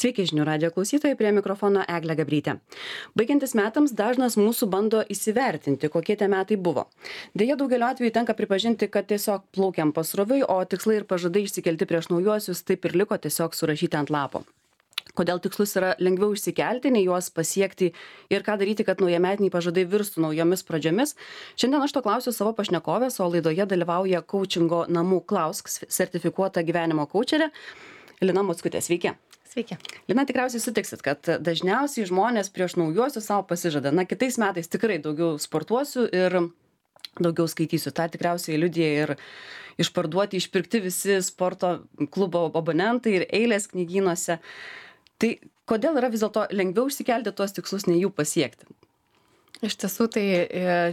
Sveiki žinių radijo klausytojai, prie mikrofono Eglė Gabrytė. Baigiantis metams dažnas mūsų bando įsivertinti, kokie tie metai buvo. Deja, daugeliu atveju tenka pripažinti, kad tiesiog plaukiam pasroviui, o tikslai ir pažadai išsikelti prieš naujuosius taip ir liko tiesiog surašyti ant lapo. Kodėl tikslus yra lengviau išsikelti, nei juos pasiekti ir ką daryti, kad naujametiniai pažadai virstų naujomis pradžiomis. Šiandien aš to klausiu savo pašnekovės, o laidoje dalyvauja coachingo namų Klausk sertifikuota gyvenimo coacherė Lina Mockutė. Sveiki. Sveiki. Lina, tikriausiai sutiksit, kad dažniausiai žmonės prieš naujuosius savo pasižada, kitais metais tikrai daugiau sportuosiu ir daugiau skaitysiu. Ta tikriausiai liudija ir išpirkti visi sporto klubo abonentai ir eilės knygynuose. Tai kodėl yra vis dėlto lengviau išsikelti tuos tikslus, nei jų pasiekti? Iš tiesų tai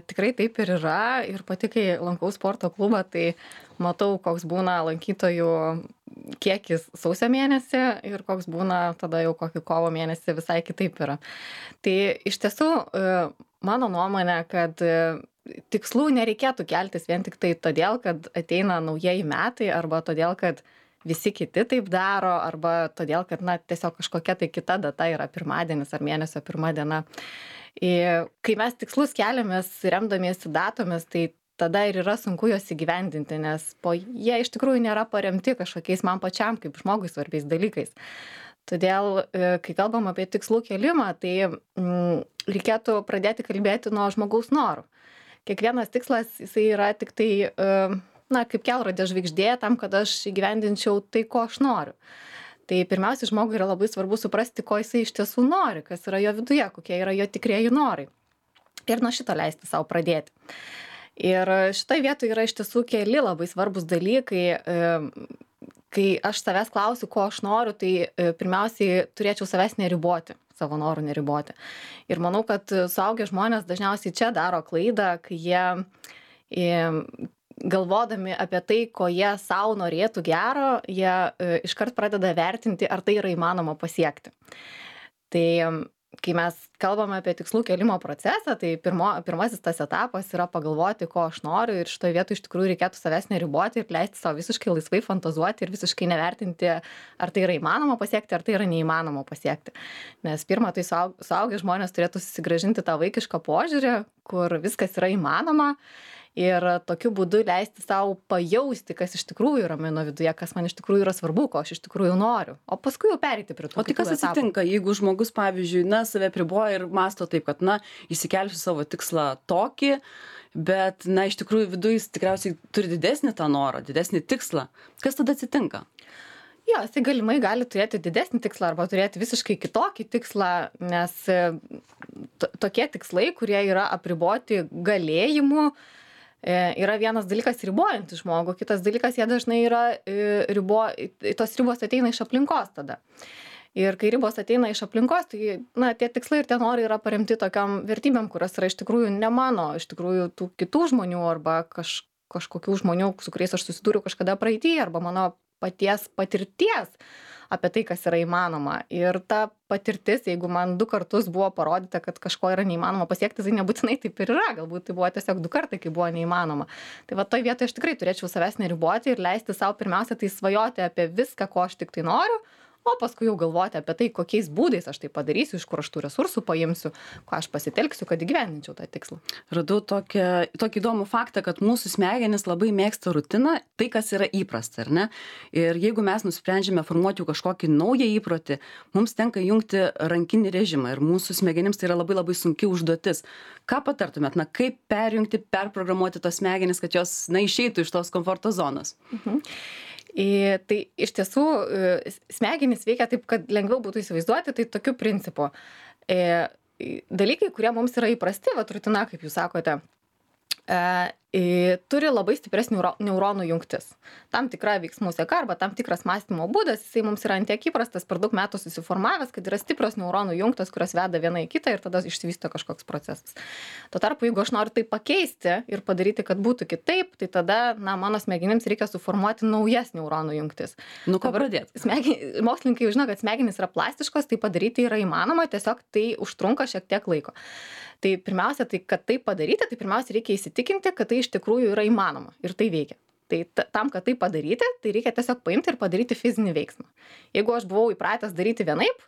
tikrai taip ir yra. Ir pati, kai lankau sporto klubą, tai matau, koks būna lankytojų kiekis sausio mėnesį ir koks būna tada jau kokį kovo mėnesį visai kitaip yra. Tai iš tiesų mano nuomonė, kad tikslų nereikėtų keltis vien tik tai todėl, kad ateina naujieji metai arba todėl, kad visi kiti taip daro, arba todėl, kad tiesiog kažkokia tai kita data yra pirmadienis ar mėnesio pirma diena. Kai mes tikslus keliamės remdamiesi datomis, tai tada ir yra sunku juos įgyvendinti, nes jie iš tikrųjų nėra paremti kažkokiais man pačiam kaip žmogui svarbiais dalykais. Todėl, kai kalbam apie tikslų kelimą, tai reikėtų pradėti kalbėti nuo žmogaus norų. Kiekvienas tikslas, jisai yra tik tai kaip kelrodė žvaigždė tam, kad aš įgyvendinčiau tai, ko aš noriu. Tai pirmiausia, žmogui yra labai svarbu suprasti, ko jisai iš tiesų nori, kas yra jo viduje, kokie yra jo tikrieji norai. Ir nuo šito leisti savo pradėti. Ir šitoje vietoje yra iš tiesų keli labai svarbus dalykai. Kai aš savęs klausiu, ko aš noriu, tai pirmiausiai turėčiau savęs neriboti, savo norų neriboti. Ir manau, kad suaugę žmonės dažniausiai čia daro klaidą, kai jie galvodami apie tai, ko jie savo norėtų gero, jie iškart pradeda vertinti, ar tai yra įmanoma pasiekti. Tai kai mes kalbame apie tikslų kelimo procesą, tai pirmasis tas etapas yra pagalvoti, ko aš noriu, ir šitoje vietoje iš tikrųjų reikėtų savęs neriboti ir leisti savo visiškai laisvai fantazuoti ir visiškai nevertinti, ar tai yra įmanoma pasiekti, ar tai yra neįmanoma pasiekti. Nes pirma, tai suaugę žmonės turėtų susigrąžinti tą vaikišką požiūrį, kur viskas yra įmanoma. Ir tokiu būdu leisti savo pajausti, kas iš tikrųjų yra mano viduje, kas man iš tikrųjų yra svarbu, ko aš iš tikrųjų noriu. O paskui jau pereiti prie to. O tai kas atsitinka, jeigu žmogus, pavyzdžiui, save priboja ir mąsto taip, kad, įsikelsiu savo tikslą tokį, bet, iš tikrųjų viduje jis tikriausiai turi didesnį tą norą, didesnį tikslą. Kas tada atsitinka? Jo, jisai galimai gali turėti didesnį tikslą arba turėti visiškai kitokį tikslą, nes tokie tikslai, kurie yra apriboti galėjimu, yra vienas dalykas ribojantis žmogų, kitas dalykas jie dažnai yra tos ribos ateina iš aplinkos tada. Ir kai ribos ateina iš aplinkos, tai tie tikslai ir tie norai yra paremti tokiam vertybėm, kurios yra iš tikrųjų ne mano, iš tikrųjų tų kitų žmonių arba kažkokių žmonių, su kuriais aš susidūriau kažkada praeity, arba mano paties patirties apie tai, kas yra įmanoma. Ir ta patirtis, jeigu man 2 kartus buvo parodyta, kad kažko yra neįmanoma pasiekti, tai nebūtinai taip ir yra. Galbūt tai buvo tiesiog 2 kartai, kai buvo neįmanoma. Tai toj vietoje aš tikrai turėčiau savęs neriboti ir leisti savo pirmiausia tai svajoti apie viską, ko aš tik tai noriu, o paskui jau galvoti apie tai, kokiais būdais aš tai padarysiu, iš kur aš tų resursų paimsiu, ko aš pasitelksiu, kad įgyvendinčiau tą tikslą. Radau tokį įdomų faktą, kad mūsų smegenys labai mėgsta rutiną, tai kas yra įprasta, ar ne? Ir jeigu mes nusprendžiame formuoti kažkokį naują įprotį, mums tenka jungti rankinį režimą ir mūsų smegenims tai yra labai labai sunki užduotis. Ką patartumėt, kaip perjungti, perprogramuoti tos smegenis, kad jos išeitų iš tos komforto zonos? Tai iš tiesų smegenys veikia taip, kad lengviau būtų įsivaizduoti, tai tokiu principu. Dalykai, kurie mums yra įprasti, rutina, kaip jūs sakote, turi labai stiprias neuronų jungtis. Tam tikra veiksmų seka arba tam tikras mąstymo būdas, jisai mums yra ant tiek įprastas, per daug metų susiformavęs, kad yra stiprios neuronų jungtos, kurios veda viena į kitą ir tada išsivysto kažkoks procesas. Tuo tarpu, jeigu aš noriu tai pakeisti ir padaryti, kad būtų kitaip, tai tada, mano smegenims reikia suformuoti naujas neuronų jungtis. Ko pradėti? Mokslininkai žino, kad smegenys yra plastiškos, tai padaryti yra įmanoma, tiesiog tai užtrunka šiek tiek laiko. Tai pirmiausia, kad tai padaryti, tai pirmiausia reikia įsitikinti, kad tai iš tikrųjų yra įmanoma ir tai veikia. Tai tam, kad tai padaryti, tai reikia tiesiog paimti ir padaryti fizinį veiksmą. Jeigu aš buvau įpratęs daryti vienaip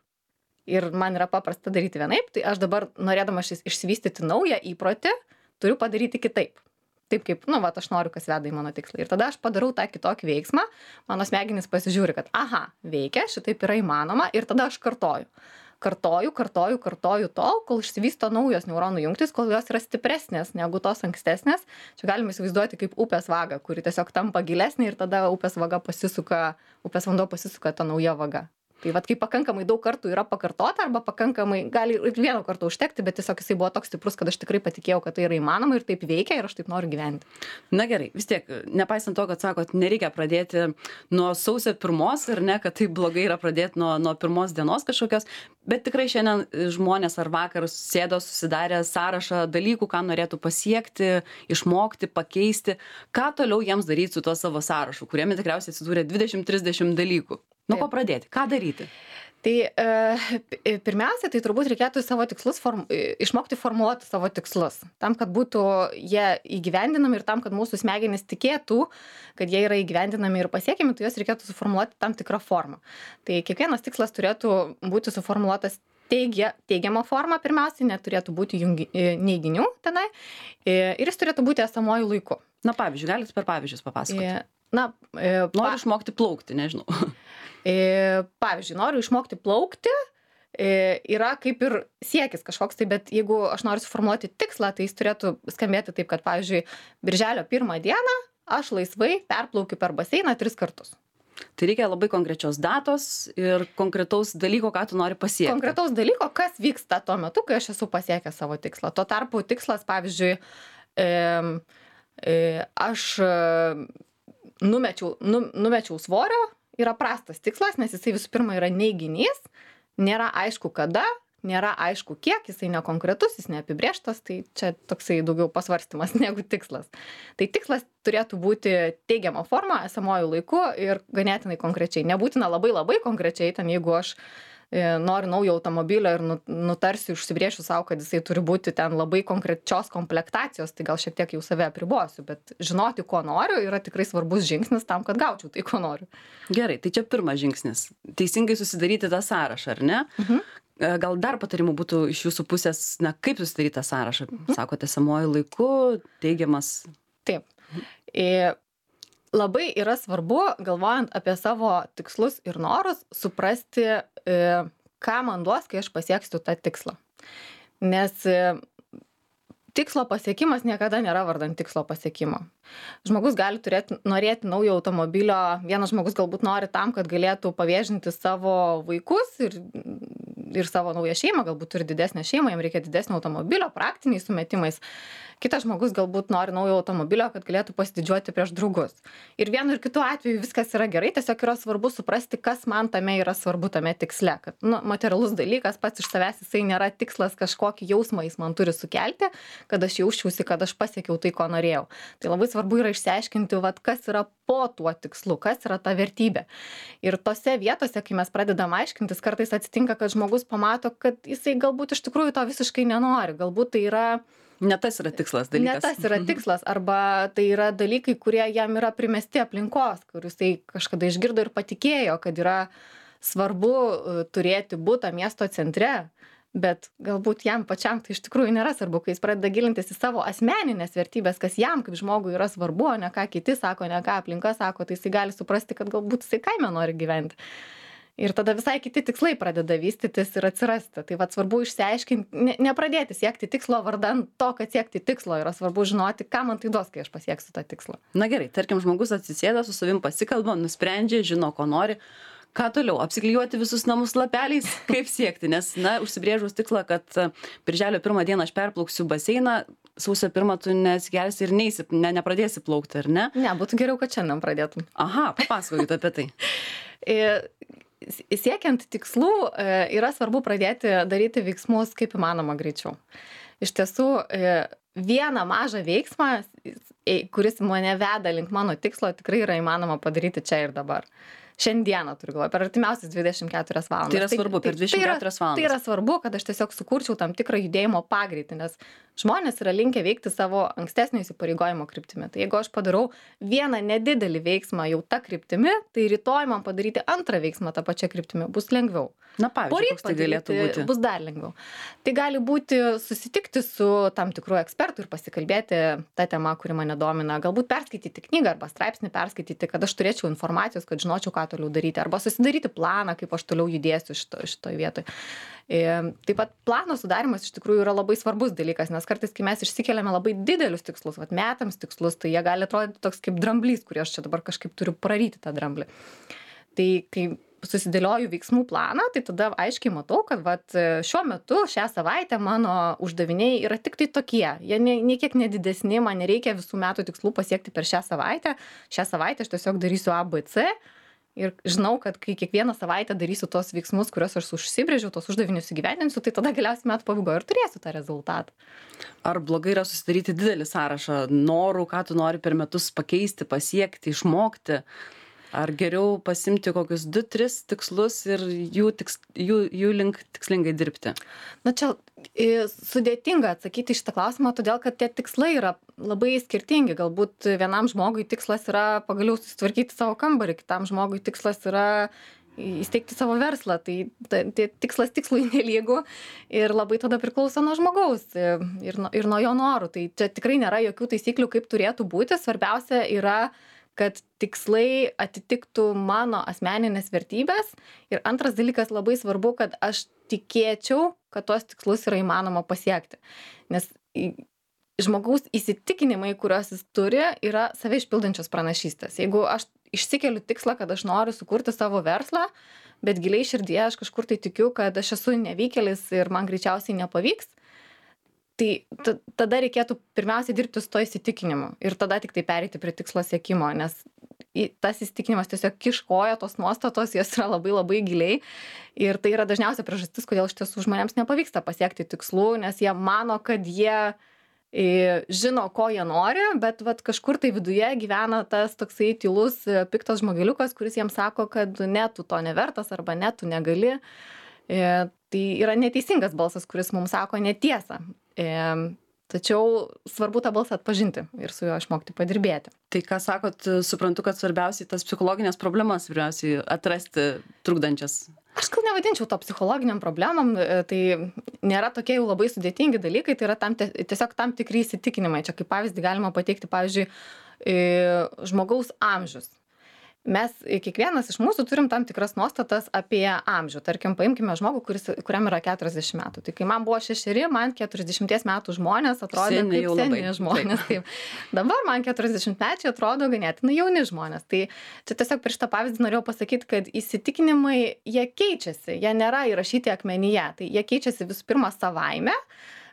ir man yra paprasta daryti vienaip, tai aš dabar, norėdamas išsivystyti naują įprotį, turiu padaryti kitaip. Taip kaip, aš noriu, kas veda į mano tikslą. Ir tada aš padarau tą kitokį veiksmą, mano smegenys pasižiūri, kad veikia, šitaip yra įmanoma ir tada aš kartoju tol, kol išsivysto naujos neuronų jungtys, kol jos yra stipresnės negu tos ankstesnės. Čia galime įsivaizduoti kaip upės vagą, kuri tiesiog tampa gilesnė ir tada upės vanduo pasisuka ta nauja vaga. Tai kai pakankamai daug kartų yra pakartota arba pakankamai, gali ir vieno karto užtekti, bet tiesiog jisai buvo toks stiprus, kad aš tikrai patikėjau, kad tai yra įmanoma ir taip veikia ir aš taip noriu gyventi. Na gerai, vis tiek, nepaisant to, kad sakot, nereikia pradėti nuo sausio 1, ar ne, kad tai blogai yra pradėti nuo pirmos dienos kažkokios, bet tikrai šiandien žmonės ar vakar sėdo susidarę sąrašą dalykų, ką norėtų pasiekti, išmokti, pakeisti, ką toliau jiems daryti su tuo savo sąrašu, kuriame tikriausiai atsidūrė 20-30 dalykų. Nuo ko pradėti? Ką daryti? Tai pirmiausia, tai turbūt reikėtų savo tikslus išmokti formuluoti savo tikslus. Tam, kad būtų jie įgyvendinami ir tam, kad mūsų smegenys tikėtų, kad jie yra įgyvendinami ir pasiekiami, tai juos reikėtų suformuoluoti tam tikrą formą. Tai kiekvienas tikslas turėtų būti suformuoluotas teigiama forma pirmiausiai, neturėtų būti neiginių tenai ir jis turėtų būti esamuoju laiku. Na, pavyzdžiui, galite per pavyzdžius papasakoti. Noriu išmokti plaukti, nežinau. Pavyzdžiui, noriu išmokti plaukti, yra kaip ir siekis kažkoks, tai bet jeigu aš noriu suformuoti tikslą, tai jis turėtų skambėti taip, kad, pavyzdžiui, birželio 1 dieną aš laisvai perplaukiu per baseiną 3 kartus. Tai reikia labai konkrečios datos ir konkretaus dalyko, ką tu nori pasiekti. Konkretaus dalyko, kas vyksta tuo metu, kai aš esu pasiekęs savo tikslą. Tuo tarpu tikslas, pavyzdžiui, aš numečiau svorio, yra prastas tikslas, nes jisai visų pirma yra neiginys, nėra aišku kada, nėra aišku kiek, jisai nekonkretus, jis neapibrėžtas, tai čia toksai daugiau pasvarstymas negu tikslas. Tai tikslas turėtų būti teigiama forma, esamuoju laiku ir ganėtinai konkrečiai. Nebūtina labai konkrečiai, ten jeigu aš noriu naujo automobilio ir nutarsiu, užsibrėšiu savo, kad jisai turi būti ten labai konkrečios komplektacijos, tai gal šiek tiek jau save apribosiu, bet žinoti, ko noriu, yra tikrai svarbus žingsnis tam, kad gaučiau tai, ko noriu. Gerai, tai čia pirmas žingsnis. Teisingai susidaryti tą sąrašą, ar ne? Gal dar patarimų būtų iš jūsų pusės, kaip susidaryti tą sąrašą? Sakote, esamuoju laiku, teigiamas. Taip. Labai yra svarbu, galvojant apie savo tikslus ir norus, suprasti, ką man duos, kai aš pasieksiu tą tikslą. Nes tikslo pasiekimas niekada nėra vardan tikslo pasiekimo. Žmogus gali norėti naujo automobilio, vienas žmogus galbūt nori tam, kad galėtų pavėžinti savo vaikus ir savo naują šeimą, galbūt turi didesnę šeimą, jam reikia didesnio automobilio, praktiniais sumetimais. Kitas žmogus galbūt nori naujo automobilio, kad galėtų pasididžiuoti prieš draugus. Ir vienu ir kitu atveju viskas yra gerai, tiesiog yra svarbu suprasti, kas man tame yra svarbu tame tiksle. Kad materialus dalykas pats iš savęs jisai nėra tikslas, kažkokį jausmą jis man turi sukelti, kad aš jausčiausi, kad aš pasiekiau tai, ko norėjau. Tai labai svarbu yra išsiaiškinti, kas yra po tuo tikslu, kas yra ta vertybė. Ir tose vietose, kai mes pradedam aiškintis, kartais atsitinka, kad žmogus pamato, kad jisai galbūt iš tikrųjų to visiškai nenori. Galbūt tai yra ne tas yra tikslas dalykas. Ne tas yra tikslas, arba tai yra dalykai, kurie jam yra primesti aplinkos, kur jisai kažkada išgirdo ir patikėjo, kad yra svarbu turėti butą miesto centre, bet galbūt jam pačiam tai iš tikrųjų nėra svarbu, kai jis pradeda gilintis į savo asmeninės vertybės, kas jam kaip žmogui yra svarbu, o ne ką kiti sako, ne ką aplinka sako, tai jisai gali suprasti, kad galbūt jisai kaime nori gyventi. Ir tada visai kiti tikslai pradeda vystytis ir atsirasti. Tai svarbu išsiaiškinti, nepradėti siekti tikslo vardan to, kad siekti tikslo. Yra svarbu žinoti, ką man tai duos, kai aš pasieksiu tą tikslą. Na gerai, tarkim, žmogus atsisėda, su savim pasikalba, nusprendžia, žino, ko nori. Ką toliau? Apsiklijuoti visus namus lapeliais? Kaip siekti? Nes, užsibrėžus tikslą, kad birželio 1 dieną aš perplauksiu baseiną, sausio 1 tu nesigelsi ir nepradėsi plaukti, ar ne? Ne, būtų geriau, kad šiandien pradėtum. Aha, papasakokit apie tai. Siekiant tikslų yra svarbu pradėti daryti veiksmus kaip įmanoma greičiau. Iš tiesų, vieną mažą veiksmą, kuris mane veda link mano tikslo, tikrai yra įmanoma padaryti čia ir dabar. Šiandieną turiu galvoje, per artimiausias 24 valandas. Tai yra svarbu, per 24 valandas. Tai yra svarbu, kad aš tiesiog sukurčiau tam tikrą judėjimo pagreitį, nes žmonės yra linkę veikti savo ankstesnio įsipareigojimo kryptimi. Tai jeigu aš padarau vieną nedidelį veiksmą jau tą kryptimi, tai rytoj man padaryti antrą veiksmą tą pačią kryptimį bus lengviau. Na, pavyzdžiui, koks tai galėtų būti? Bus dar lengviau. Tai gali būti susitikti su tam tikru ekspertu ir pasikalbėti tą temą, kuri mane domina. Galbūt perskaityti knygą arba straipsnį perskaityti, kad aš turėčiau informacijos, kad žinočiau, ką toliau daryti. Arba susidaryti planą, kaip aš toliau judėsiu šitoj vietoj. Taip pat plano sudarimas iš tikrųjų yra labai svarbus dalykas, nes kartais, kai mes išsikeliame labai didelius tikslus, metams tikslus, tai jie gali atrodyti toks kaip dramblys, kurį aš čia dabar kažkaip turiu praryti tą dramblį. Tai kai susidėlioju veiksmų planą, tai tada aiškiai matau, kad šiuo metu, šią savaitę mano uždaviniai yra tik tai tokie. Jie niekiek nedidesni, man nereikia visų metų tikslų pasiekti per šią savaitę. Šią savaitę aš tiesiog darysiu A, B, C. Ir žinau, kad kai kiekvieną savaitę darysiu tos veiksmus, kuriuos aš užsibrėžiau, tos uždavinius įgyvendinsiu, tai tada galiausiai metų pabaigoje ir turėsiu tą rezultatą. Ar blogai yra susidaryti didelį sąrašą norų, ką tu nori per metus pakeisti, pasiekti, išmokti? Ar geriau pasimti kokius 2-3 tikslus ir jų link tikslingai dirbti? Na čia sudėtinga atsakyti šitą klausimą, todėl kad tie tikslai yra labai skirtingi. Galbūt vienam žmogui tikslas yra pagaliau susitvarkyti savo kambarį, kitam žmogui tikslas yra įsteigti savo verslą. Tai tikslas tikslui nelygu ir labai tada priklauso nuo žmogaus ir nuo jo norų. Tai čia tikrai nėra jokių taisyklių, kaip turėtų būti. Svarbiausia yra, kad tikslai atitiktų mano asmeninės vertybės. Ir antras dalykas, labai svarbu, kad aš tikėčiau, kad tuos tikslus yra įmanoma pasiekti. Nes žmogaus įsitikinimai, kuriuos jis turi, yra save išpildančios pranašystės. Jeigu aš išsikeliu tikslą, kad aš noriu sukurti savo verslą, bet giliai širdyje aš kažkur tai tikiu, kad aš esu nevykėlis ir man greičiausiai nepavyks, tai tada reikėtų pirmiausiai dirbti su to įsitikinimu ir tada tik tai pereiti prie tikslo siekimo, nes tas įsitikinimas tiesiog kiškoja, tos nuostatos, jos yra labai labai giliai ir tai yra dažniausia priežastis, kodėl iš tiesų žmonėms nepavyksta pasiekti tikslų, nes jie mano, kad jie žino, ko jie nori, bet kažkur tai viduje gyvena tas toksai tylus, piktas žmogeliukas, kuris jiems sako, kad ne, tu to nevertas arba ne, tu negali. Tai yra neteisingas balsas, kuris mums sako netiesą. Tačiau svarbu tą balsą atpažinti ir su juo išmokti padirbėti. Tai ką sakot, suprantu, kad svarbiausiai tas psichologinės problemas vyriausiai atrasti trukdančias. Aš gal nevadinčiau to psichologiniam problemam, tai nėra tokie jau labai sudėtingi dalykai, tai yra tiesiog tam tikri įsitikinimai. Čia kaip pavyzdį galima pateikti, pavyzdžiui, žmogaus amžius. Mes kiekvienas iš mūsų turim tam tikras nuostatas apie amžių. Tarkim, paimkime žmogų, kuriam yra 40 metų. Tai kai man buvo 6, man 40 metų žmonės atrodė kaip seni žmonės. Taip. Dabar man 40-mečiai atrodo ganėtinai jauni žmonės. Tai čia tiesiog prieš tą pavyzdį norėjau pasakyti, kad įsitikinimai, jie keičiasi, jie nėra įrašyti akmenyje. Tai jie keičiasi visų pirma savaime,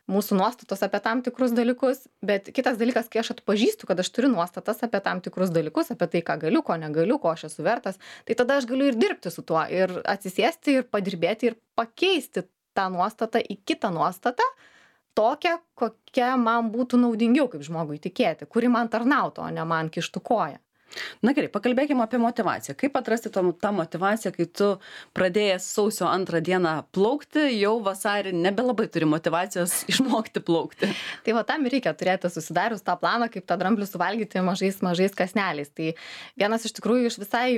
mūsų nuostatos apie tam tikrus dalykus, bet kitas dalykas, kai aš atpažįstu, kad aš turiu nuostatas apie tam tikrus dalykus, apie tai, ką galiu, ko negaliu, ko aš esu vertas, tai tada aš galiu ir dirbti su tuo, ir atsisėsti, ir padirbėti, ir pakeisti tą nuostatą į kitą nuostatą, tokią, kokia man būtų naudingiau kaip žmogui tikėti, kuri man tarnautų, o ne man kištų koją. Na gerai, pakalbėkime apie motyvaciją. Kaip atrasti tą motyvaciją, kai tu pradėjęs sausio 2 dieną plaukti, jau vasarį nebelabai turi motyvacijos išmokti plaukti? Tai tam reikia turėti susidarius tą planą, kaip tą dramblį suvalgyti mažais kąsneliais. Tai vienas iš tikrųjų iš visai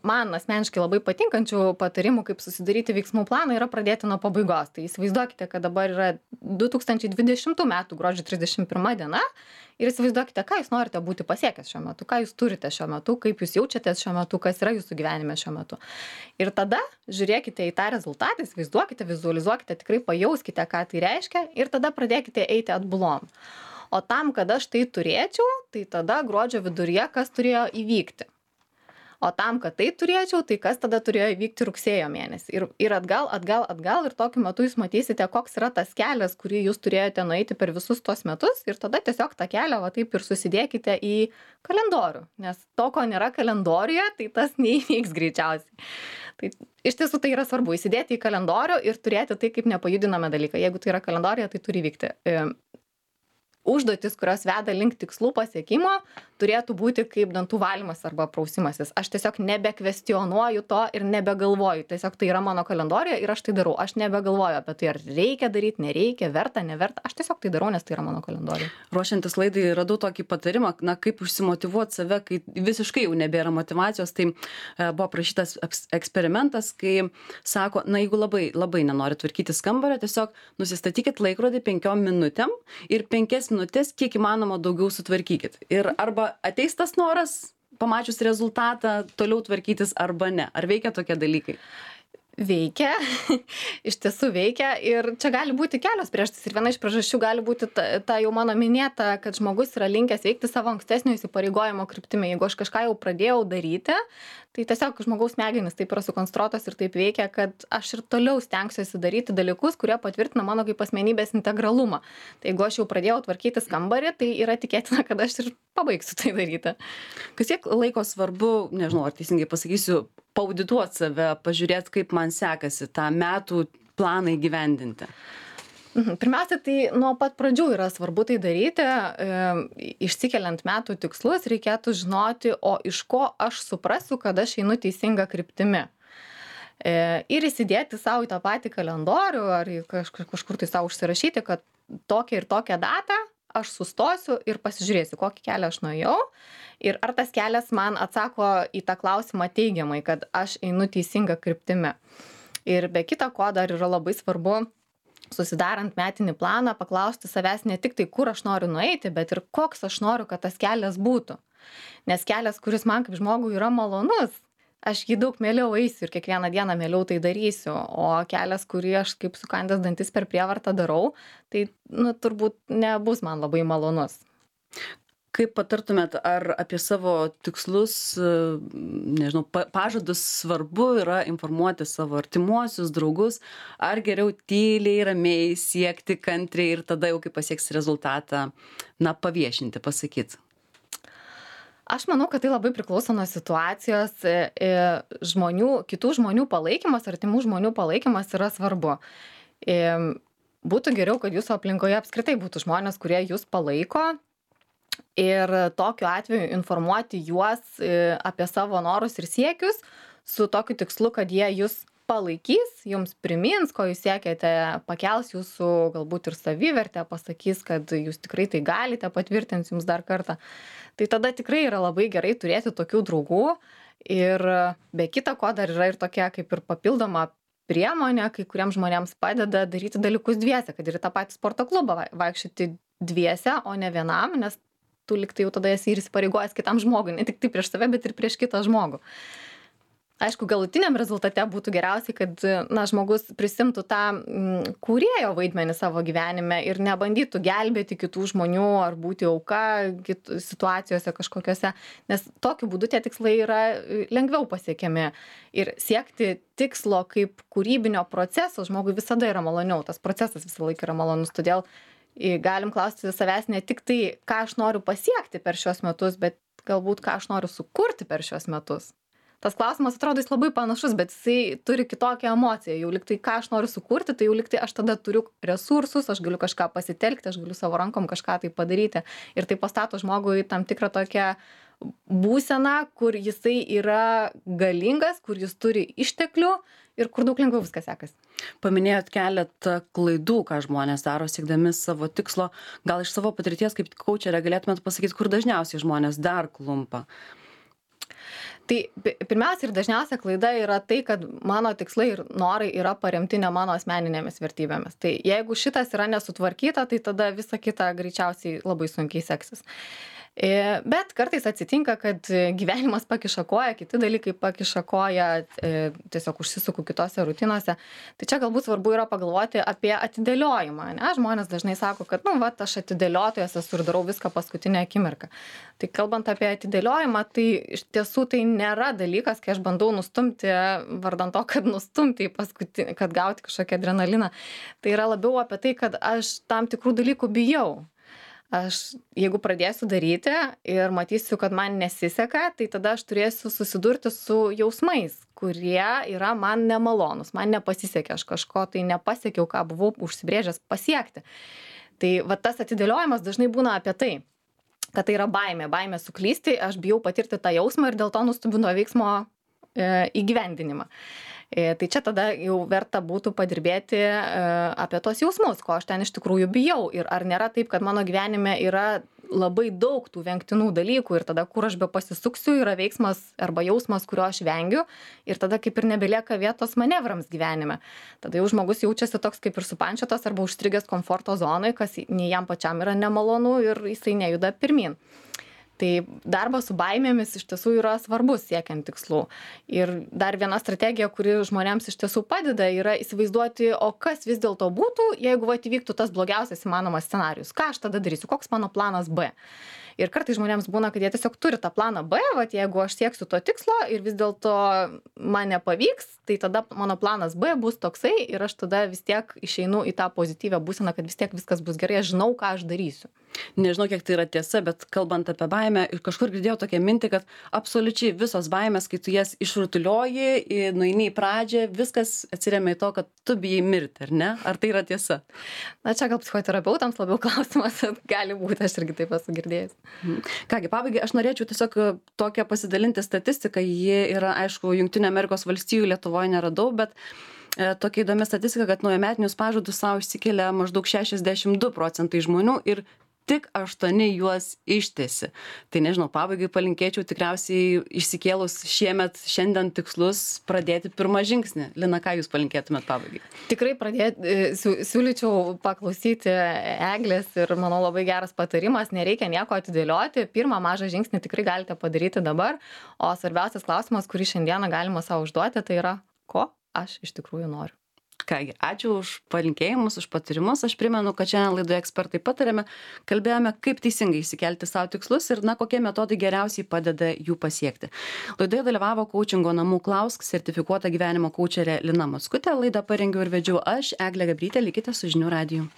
man asmeniškai labai patinkančių patarimų, kaip susidaryti veiksmų planą, yra pradėti nuo pabaigos. Tai įsivaizduokite, kad dabar yra 2020 metų gruodžio 31 diena. Ir įsivaizduokite, ką jūs norite būti pasiekęs šiuo metu, ką jūs turite šiuo metu, kaip jūs jaučiatės šiuo metu, kas yra jūsų gyvenime šiuo metu. Ir tada žiūrėkite į tą rezultatą, įsivaizduokite, vizualizuokite, tikrai pajauskite, ką tai reiškia ir tada pradėkite eiti atbulom. O tam, kad aš tai turėčiau, tai tada gruodžio viduryje kas turėjo įvykti. O tam, kad tai turėčiau, tai kas tada turėjo įvykti rugsėjo mėnesį. Ir atgal ir tokiu metu jūs matysite, koks yra tas kelias, kurį jūs turėjote nueiti per visus tos metus ir tada tiesiog tą kelią taip ir susidėkite į kalendorių. Nes to, ko nėra kalendoriuje, tai tas neįvyks greičiausiai. Tai iš tiesų tai yra svarbu įsidėti į kalendorių ir turėti tai kaip nepajudinamą dalyką. Jeigu tai yra kalendorija, tai turi vykti. užduotis, kurios veda link tikslų pasiekimo, turėtų būti kaip dantų valymas arba prausimasis. Aš tiesiog nebekvestionuoju to ir nebegalvoju. Tiesiog tai yra mano kalendorijoje ir aš tai darau. Aš nebegalvoju apie tai, ar reikia daryti, nereikia, verta, neverta. Aš tiesiog tai darau, nes tai yra mano kalendorijoje. Ruošiantis laidai radau tokį patarimą, kaip užsimotyvuoti save, kai visiškai jau nebėra motyvacijos. Tai buvo prašytas eksperimentas, kai sako, jeigu labai nenori tvarkytis kambario, tiesiog nusistatykit laikrodį 5 minutėm ir 5 minutės kiek įmanoma daugiau sutvarkykit. Ir arba ateis tas noras, pamačius rezultatą, toliau tvarkytis arba ne. Ar veikia tokie dalykai? Veikia, iš tiesų veikia ir čia gali būti kelios priežastys ir viena iš priežasčių gali būti ta jau mano minėta, kad žmogus yra linkęs veikti savo ankstesnio įsipareigojimo kryptimi. Jeigu aš kažką jau pradėjau daryti, tai tiesiog žmogaus smegenys taip yra sukonstruotos ir taip veikia, kad aš ir toliau stengsiuosi daryti dalykus, kurie patvirtina mano kaip asmenybės integralumą. Tai jeigu aš jau pradėjau tvarkytis kambarį, tai yra tikėtina, kad aš ir pabaigsiu tai daryti. Kiek laiko svarbu, nežinau, ar teisingai pasakysiu, paaudituoti save, pažiūrėti, kaip man sekasi tą metų planą įgyvendinti? Pirmiausia, tai nuo pat pradžių yra svarbu tai daryti. Išsikeliant metų tikslus, reikėtų žinoti, o iš ko aš suprasiu, kad aš einu teisinga kryptimi. Ir įsidėti savo į tą patį kalendorių, ar kažkur tai savo užsirašyti, kad tokią ir tokią datą aš sustosiu ir pasižiūrėsiu, kokį kelią aš nuėjau ir ar tas kelias man atsako į tą klausimą teigiamai, kad aš einu teisinga kryptimi. Ir be kita ko dar yra labai svarbu, susidarant metinį planą, paklausti savęs ne tik tai, kur aš noriu nueiti, bet ir koks aš noriu, kad tas kelias būtų. Nes kelias, kuris man kaip žmogui yra malonus, aš jį daug mieliau eisiu ir kiekvieną dieną mieliau tai darysiu, o kelias, kurį aš kaip sukandęs dantis per prievartą darau, tai turbūt nebus man labai malonus. Kaip patartumėt, ar apie savo tikslus, nežinau, pažadus svarbu yra informuoti savo artimuosius, draugus, ar geriau tyliai, ramiai siekti kantriai ir tada jau, kai pasieks rezultatą, paviešinti, pasakyti? Aš manau, kad tai labai priklauso nuo situacijos, kitų žmonių palaikymas, artimų žmonių palaikymas yra svarbu. Būtų geriau, kad jūsų aplinkoje apskritai būtų žmonės, kurie jūs palaiko ir tokiu atveju informuoti juos apie savo norus ir siekius su tokiu tikslu, kad jie jūs palaikys, jums primins, ko jūs siekiate, pakels jūsų galbūt ir savivertę, pasakys, kad jūs tikrai tai galite, patvirtins jums dar kartą. Tai tada tikrai yra labai gerai turėti tokių draugų ir be kita ko dar yra ir tokia kaip ir papildoma priemonė, kai kuriems žmonėms padeda daryti dalykus dviese, kad ir į tą patį sporto klubą vaikščioti dviese, o ne vienam, nes tu liktai jau tada esi ir įsipareigojęs kitam žmogui, ne tik tai prieš save, bet ir prieš kitą žmogų. Aišku, galutiniam rezultate būtų geriausiai, kad žmogus prisimtų tą kūrėjo vaidmenį savo gyvenime ir nebandytų gelbėti kitų žmonių ar būti auka situacijose kažkokiose, nes tokiu būdu tie tikslai yra lengviau pasiekiami. Ir siekti tikslo kaip kūrybinio proceso žmogui visada yra maloniau, tas procesas visą laiką yra malonus, todėl galim klausti savęs ne tik tai, ką aš noriu pasiekti per šios metus, bet galbūt ką aš noriu sukurti per šios metus. Tas klausimas atrodo jis labai panašus, bet jisai turi kitokią emociją. Jau liktai, ką aš noriu sukurti, tai jau liktai aš tada turiu resursus, aš galiu kažką pasitelkti, aš galiu savo rankom kažką tai padaryti. Ir tai pastato žmogui tam tikrą tokią būseną, kur jisai yra galingas, kur jis turi išteklių ir kur daug lengviau viskas sekasi. Paminėjot keletą klaidų, ką žmonės daro siekdami savo tikslo. Gal iš savo patirties kaip kaučerė galėtumėt pasakyti, kur dažniausiai žmonės dar klumpa? Tai pirmiausia ir dažniausia klaida yra tai, kad mano tikslai ir norai yra paremti ne mano asmeninėmis vertybėmis. Tai jeigu šitas yra nesutvarkyta, tai tada visa kita greičiausiai labai sunkiai seksis. Bet kartais atsitinka, kad gyvenimas pakiša koją, kiti dalykai pakiša koją, tiesiog užsisuku kitose rutinose. Tai čia galbūt svarbu yra pagalvoti apie atidėliojimą. Ne? Žmonės dažnai sako, kad aš atidėliotojas esu ir darau viską paskutinę akimirką. Tai kalbant apie atidėliojimą, tai iš tiesų tai nėra dalykas, kai aš bandau nustumti vardan to, kad nustumti į paskutinį, kad gauti kažkokią adrenaliną. Tai yra labiau apie tai, kad aš tam tikrų dalykų bijau. Jeigu pradėsiu daryti ir matysiu, kad man nesiseka, tai tada aš turėsiu susidurti su jausmais, kurie yra man nemalonus, man nepasisekė, aš kažko tai nepasiekiau, ką buvau užsibrėžęs pasiekti. Tai va tas atidėliojimas dažnai būna apie tai, kad tai yra baimė suklysti, aš bijau patirti tą jausmą ir dėl to nustumiu nuo veiksmo įgyvendinimą. Tai čia tada jau verta būtų padirbėti apie tos jausmus, ko aš ten iš tikrųjų bijau ir ar nėra taip, kad mano gyvenime yra labai daug tų vengtinų dalykų ir tada, kur aš be pasisuksiu, yra veiksmas arba jausmas, kurio aš vengiu ir tada kaip ir nebelieka vietos manevrams gyvenime. Tada jau žmogus jaučiasi toks kaip ir supančiotas arba užstrigęs komforto zonai, kas nei jam pačiam yra nemalonu ir jisai nejuda pirmin. Tai darbas su baimėmis iš tiesų yra svarbus siekiant tikslų. Ir dar viena strategija, kuri žmonėms iš tiesų padeda, yra įsivaizduoti, o kas vis dėlto būtų, jeigu įvyktų tas blogiausias įmanomas scenarius. Ką aš tada darysiu, koks mano planas B. Ir kartais žmonėms būna, kad jie tiesiog turi tą planą B, jeigu aš sieksiu to tikslo ir vis dėlto man nepavyks, tai tada mano planas B bus toksai ir aš tada vis tiek išeinu į tą pozityvę būseną, kad vis tiek viskas bus gerai, aš žinau, ką aš darysiu. Nežinau, kiek tai yra tiesa, bet kalbant apie baimę, kažkur girdėjau tokią mintį, kad absoliučiai visos baimės, kai tu jas išrutulioji, nueini į pradžią, viskas atsiremia į to, kad tu bijai mirti, ar ne? Ar tai yra tiesa? Na, čia gal psichoterapeutams labiau klausimas, gali būti, aš irgi taip esu girdėjęs. Kągi, pabaigai, aš norėčiau tiesiog tokią pasidalinti statistiką, ji yra, aišku, Jungtinių Amerikos valstijų, Lietuvoje neradau, bet tokia įdomi statistika, kad naujametinius pažadus savo išsikelia maždaug 62% žmonių ir tik 8 juos ištesi. Tai nežinau, pabaigai palinkėčiau tikriausiai išsikėlus šiandien tikslus pradėti pirmą žingsnį. Lina, ką jūs palinkėtumėt pabaigai? Tikrai siūlyčiau paklausyti Eglės ir manau labai geras patarimas, nereikia nieko atidėlioti, pirmą mažą žingsnį tikrai galite padaryti dabar, o svarbiausias klausimas, kurį šiandieną galima savo užduoti, tai yra, ko aš iš tikrųjų noriu. Kągi, ačiū už palinkėjimus, už patarimus. Aš primenu, kad šiandien laidoje ekspertai patarėme, kalbėjome, kaip teisingai išsikelti savo tikslus ir kokie metodai geriausiai padeda jų pasiekti. Laidoje dalyvavo Coachingo namų Klausk sertifikuota gyvenimo kaučerė Lina Mockutė. Laidą parengiau ir vedžiau aš, Eglė Gabrytė. Likite su žinių radiju.